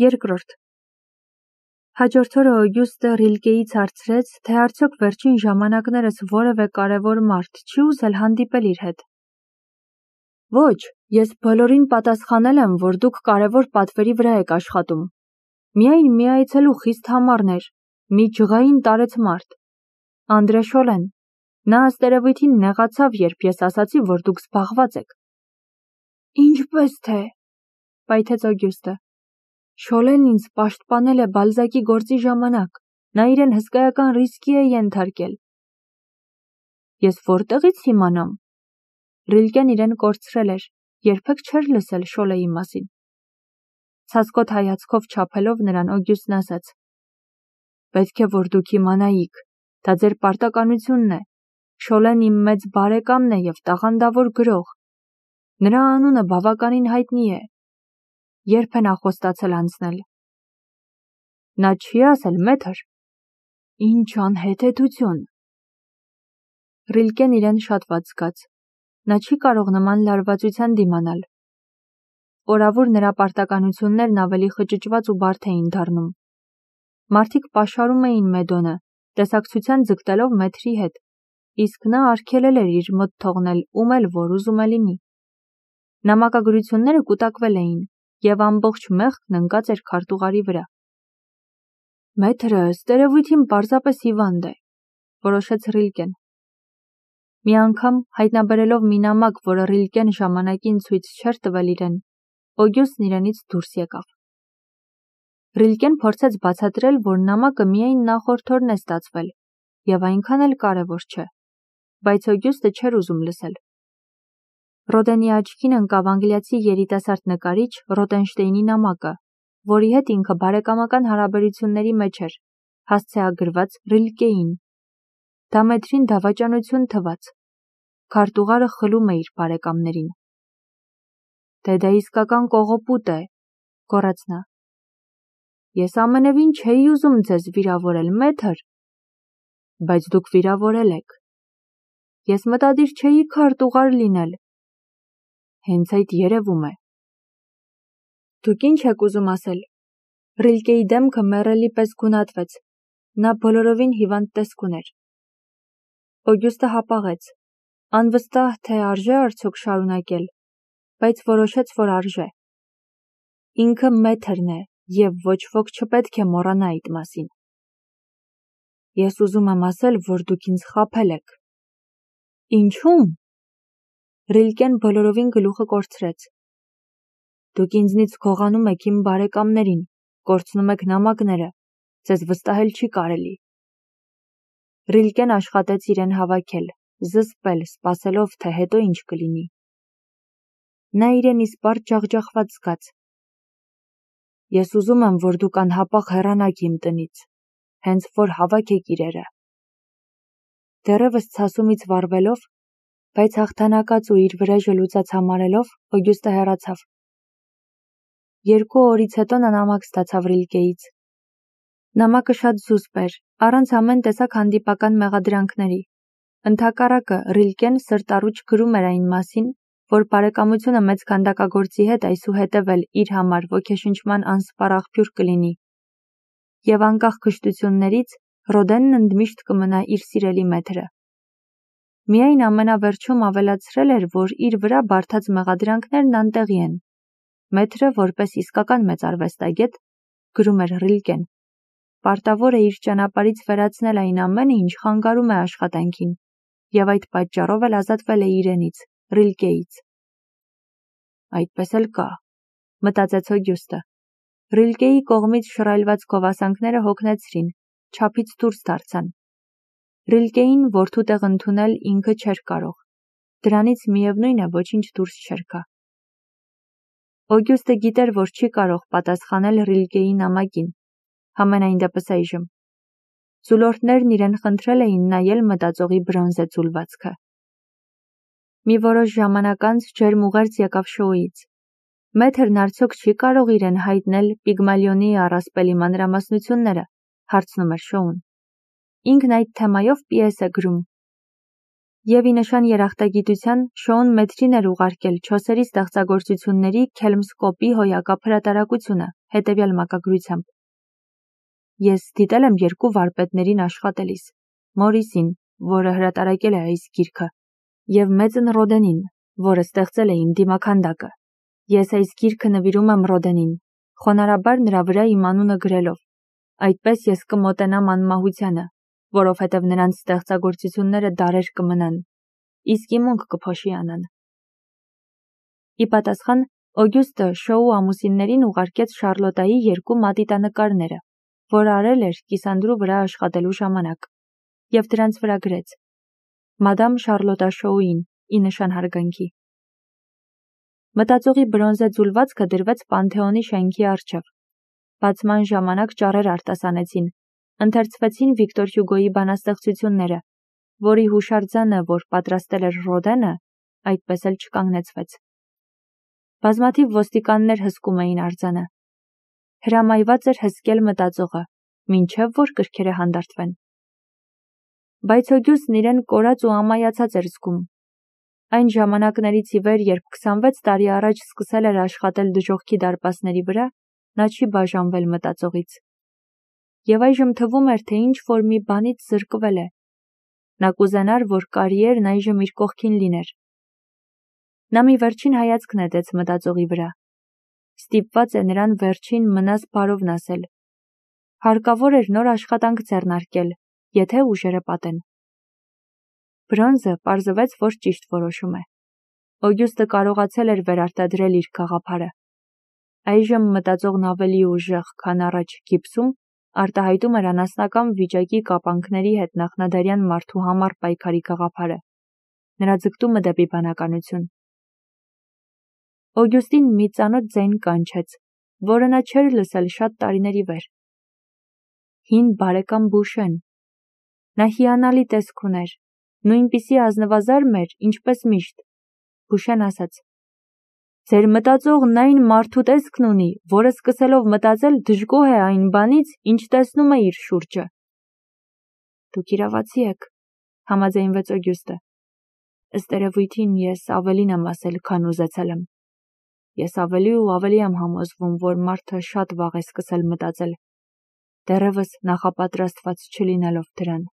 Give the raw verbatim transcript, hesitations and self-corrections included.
Երկրորդ. Հաջորդ օրը Օգյուստը Ռիլկեից հարցրեց, թե արդյոք վերջին ժամանակներս որևէ կարևոր մարդ չի ուզել հանդիպել իր հետ։ Ոչ, ես բոլորին պատասխանել եմ, որ դուք կարևոր պատվերի վրա եք աշխատում։ Միայն մի այցելու խիստ համառն էր, մի ջղային տարեց մարդ։ Անդրե Շոլեն, նա ըստերևույթին նեղացավ, երբ ես ասացի, որ դուք զբաղված եք։ Ինչպես թե, պայթեց Օգյուստը։ Շոլեն ինձ պաշտպանել է Բալզակի գործի ժամանակ, նա իրեն հսկայական ռիսկի է ենթարկել։ Ես որտեղից իմանամ։ Ռիլկեն իրեն կորցրել էր, երբեք չէր լսել Շոլեի մասին։ Ցասկոտ հայացքով չափելով նրան Օգյուստն ասաց. Պետք է որ դուք իմանայիք, դա ձեր պարտականությունն է։ Շոլեն իմ մեծ բարեկամն է և տաղանդավոր գրող։ Նրա անունը բավականին հայտնի է։ Երբ է նա խոստացել անցնել։ Նա չի ասել, մեթր։ Ինչ անհեթեթություն։ Ռիլկեն իրեն շատ վատ զգաց։ Նա չի կարող նման լարվածության դիմանալ։ Օրավուր նրա պարտականություններն ավելի խճճված ու բարդ էին դառնում։ Մարդիկ պաշարում էին Մեդոնը, տեսակցության ձգտելով մեթրի հետ, իսկ նա արգելել էր իր մոտ թողնել ում էլ որ ուզում է լինի։ Նամակագրությունները կուտակվել էին, և ամբողջ մեղքն ընկած էր քարտուղարի վրա։ Մեթրը ըստերևույթին պարզապես հիվանդ է, որոշեց Ռիլկեն։ Մի անգամ հայտնաբերելով մի նամակ, որը Ռիլկեն ժամանակին ցույց չէր տվել իրեն, Օգյուստն իրենից դուրս եկավ։ Ռիլկեն փորձեց բացատրել, որ նամակը միայն նախորդ օրն է ստացվել, և այնքան էլ կարևոր չէ, բայց Օգյուստը չէր ուզում լսել։ Ռոդենի աչքին ընկավ անգլիացի երիտասարդ նկարիչ Ռոտենշտեյնի նամակը, որի հետ ինքը բարեկամական հարաբերությունների մեջ էր, հասցեագրված Ռիլկեին։ Դա մեթրին դավաճանություն թվաց։ Քարտուղարը խլում է իր բարեկամներին։ Դե դա իսկական կողոպուտ է, գոռաց նա։ Ես ամենևին չէի ուզում ձեզ վիրավորել, մեթր։ Բայց դուք վիրավորել եք։ Ես մտադիր չէի քարտուղար լինել։ Հենց այդ երևում է։ Դուք ինչ եք ուզում ասել։ Ռիլկեի դեմքը մեռելի պես գունատվեց։ Նա բոլորովին հիվանդ տեսք ուներ։ Օգյուստը հապաղեց։ Անվստահ թե արժե արդյոք շարունակել, բայց որոշեց, որ արժե։ Ինքը մեթրն է, և ոչ ոք չպետք է մոռանա այդ մասին։ Ես ուզում եմ ասել, որ դուք ինձ խաբել եք։ Ինչու՞մ։ Ռիլկեն բոլորովին գլուխը կորցրեց։ Դուք ինձնից գողանում եք իմ բարեկամներին, կորցնում եք նամակները, ձեզ վստահել չի կարելի։ Ռիլկեն աշխատեց իրեն հավաքել, զսպել, սպասելով, թե հետո ինչ կլինի։ Նա իրեն իսպառ ջախջախված զգաց։ Ես ուզում եմ, որ դուք անհապաղ հեռանաք իմ տնից, հենց որ հավաքեք իրերը։ Դեռևս ցասումից վառվելով, բայց հաղթանակած ու իր վրեժը լուծած համարելով, Օգյուստը հեռացավ։ Երկու օրից հետո նա նամակ ստացավ Ռիլկեից։ Նամակը շատ զուսպ էր, առանց ամեն տեսակ հանդիպական մեղադրանքների։ Ընդհակառակը Ռիլկեն սրտառուչ գրում էր այն մասին, որ բարեկամությունը մեծ քանդակագործի հետ այսուհետև էլ իր համար ոգեշնչման անսպառ աղբյուր կլինի, և անկախ քշտություններից Ռոդենն ընդմիշտ կմնա իր սիրելի մեթրը։ Միայն ամենավերջում ավելացրել էր, որ իր վրա բարդած մեղադրանքներն անտեղի են։ Մեթրը, որպես իսկական մեծ արվեստագետ, գրում էր Ռիլկեն, պարտավոր է իր ճանապարհից վերացնել այն ամենը, ինչ խանգարում է աշխատանքին, և այդ պատճառով էլ ազատվել է իրենից, Ռիլկեից։ Այդպես էլ կա, մտածեց Օգյուստը։ Ռիլկեի կողմից շռայլված գովասանքները հոգնեցրին, չափից դուրս դարձան։ Ռիլկեին որդու տեղ ընդունել ինքը չէր կարող։ Դրանից միևնույն է ոչինչ դուրս չէր գա։ Օգյուստը գիտեր, որ չի կարող պատասխանել Ռիլկեի նամակին, համենայն դեպս այժմ։ Ձուլորդներն իրեն խնդրել էին նայել մտածողի բրոնզե ձուլվածքը։ Մի որոշ ժամանակ անց ջերմ ուղերձ եկավ շոուից։ Մեթրն արդյոք չի կարող իրեն հայտնել Պիգմալիոնի առասպելի մանրամասնությունները, հարցնում էր շոուն։ Ինքն այդ թեմայով պիես է գրում։ Եվ ի նշան երախտագիտության Շոուն մեթրին էր ուղարկել չոսերի ստեղծագործությունների քելմսկոպի հոյակապ հրատարակությունը հետևյալ մակագրությամբ. Ես դիտել եմ երկու վարպետներին աշխատելիս, Մորիսին, որը հրատարակել է այս գիրքը, եւ Մեծն Ռոդենին, որը ստեղծել է իմ դիմաքանդակը։ Ես այս գիրքը նվիրում եմ Ռոդենին, խոնարհաբար նրա վրա իմ անունը գրելով։ Այդպես ես կմոտենամ անմահությանը, որովհետև նրանց ստեղծագործությունները դարեր կմնան, իսկ իմ ունք կփոշի անան։ Ի պատասխան Օգյուստը Շոու ամուսիններին ուղարկեց Շարլոտայի երկու մատիտանկարները, որ արել էր կիսանդրու վրա աշխատելու ժամանակ, եւ դրանց վրա գրեց. Մադամ Շարլոտա Շոուին, ի նշան հարգանքի։ Մտածողի բրոնզե ձուլվածքը դրվեց Պանթեոնի շենքի առջև։ Բացման ժամանակ ճառեր արտասանեցին, ընթերցվեցին Վիկտոր Հյուգոյի բանաստեղծությունները, որի հուշարձանը, որ պատրաստել էր Ռոդենը, այդպես էլ չկանգնեցվեց։ Բազմաթիվ ոստիկաններ հսկում էին արձանը։ Հրամայված էր հսկել մտածողը, մինչև որ գրքերը հանդարտվեն։ Բայց Օգյուստն իրեն կորած ու ամայացած էր զգում։ Այն ժամանակներից ի վեր, երբ քսանվեց տարի առաջ սկսել էր աշխատել դժոխքի դարպասների վրա, նա չի բաժանվել մտածողից։ Եվ այժմ թվում էր, թե ինչ որ մի բանից զրկվել է։ Նա կուզենար, որ կարիերն այժմ իր կողքին լիներ։ Նա մի վերջին հայացք նետեց մտածողի վրա։ Ստիպված է նրան վերջին մնաս բարովն ասել։ Հարկավոր էր նոր աշխատանք ձեռնարկել, եթե ուժերը պատեն։ Բրոնզը պարզվեց, որ ճիշտ որոշում է։ Օգյուստը կարողացել էր վերարտադրել իր գաղափարը։ Այժմ մտածողն ավելի ուժեղ, քան առաջ գիպսում, արտահայտում էր անասնական վիճակի կապանքների հետ նախնադարյան մարդու համար պայքարի գաղափարը, նրա ձգտումը դեպի բանականություն։ Օգյուստին մի ծանոթ ձայն կանչեց, որը նա չէր լսել շատ տարիների վեր։ Հին բարեկամ Բուշեն։ Նա հիանալի տեսք ուներ, նույնպիսի ազնվազարմ էր, ինչպես միշտ։ Բուշեն ասաց. Ձեր մտածողն այն մարդու տեսքն ունի, որը սկսելով մտածել դժգոհ է այն բանից, ինչ տեսնում է իր շուրջը։ Դուք իրավացի եք, համաձայնվեց Օգյուստը։ Ըստ երևույթին ես ավելին եմ ասել, քան ուզեցել եմ։ Ես ավելի ու ավելի եմ համոզվում, որ մարդը շատ վաղ է սկսել մտածել, դեռևս նախապատրաստված չլինելով դրան։